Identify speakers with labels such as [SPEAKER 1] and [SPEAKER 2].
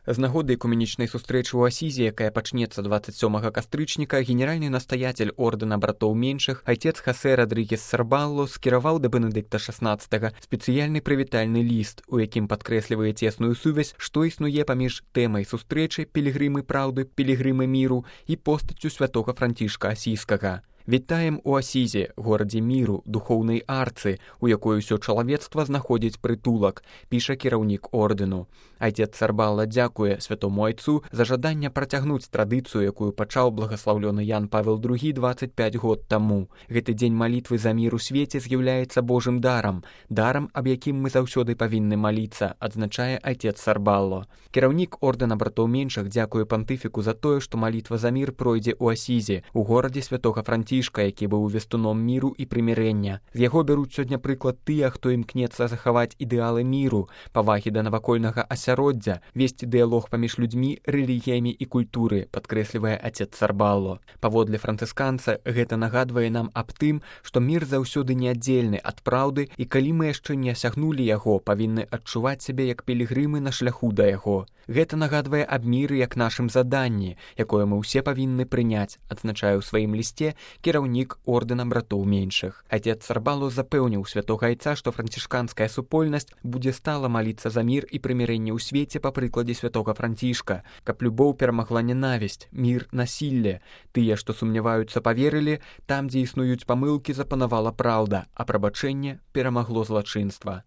[SPEAKER 1] З нагоды экуменічнай сустрэчы ў Асізе, якая пачнецца 27 кастрычніка, генеральны настаятель ордэна братоў меншых, айцец Хасе Радрыгес Сарбалло скіраваў да Бенедыкта XVI спецыяльны прывітальны ліст, у якім падкрэслівае цесную сувязь, што існуе паміж тэмай сустрэчы пілігрымы праўды, пілігрымы міру і постаццю святога Францішка Асійскага. Вітаем у Асізе, горадзе міру, духоўнай арцы, у якой усё чалавецтва знаходзіць прытулак, піша кіраўнік ордэну. Айцец Сарбалла дзякуе святому айцу за жаданне працягнуць традыцыю, якую пачаў благаслаўлёны Ян Павел II 25 год таму. Гэты дзень малітвы за мір у свеце з'яўляецца Божым дарам, аб якім мы заўсёды павінны маліцца, адзначае айцец Сарбалло. Кіраўнік ордэна братоў меншых дзякуе пантыфіку за тое, што малітва за мір пройдзе ў Асізе, у горадзе святога Францішка, які быў вестуном міру і прымірэння. З яго бяруць сёння прыклад тыя, хто імкнецца захаваць ідэалы міру, павагі да навакольнага асяроддзя, весці дыялог паміж людзьмі, рэлігіямі і культуры, падкрэслівае айцец Сарбалло. Паводле францысканца, гэта нагадвае нам аб тым, што мір заўсёды неаддзельны ад праўды, і калі мы яшчэ не асягнулі яго, павінны адчуваць сябе як пілігрымы на шляху да яго. Гэта нагадвае аб міры як нашым заданні, якое мы ўсе павінны прыняць, адзначае ў сваім лісце кіраўнік ордэна братоў меншых. Айцец Сарбалло запэўніў святога айца, што францішканская супольнасць будзе стала маліцца за мір і прымірэнне ў свеце па прыкладзе святога Францішка, каб любоў перамагла ненавісць, мір, насілле. Тыя, што сумняваюцца, паверылі, там, дзе існуюць памылкі, запанавала праўда, а прабачэнне перамагло злачынства.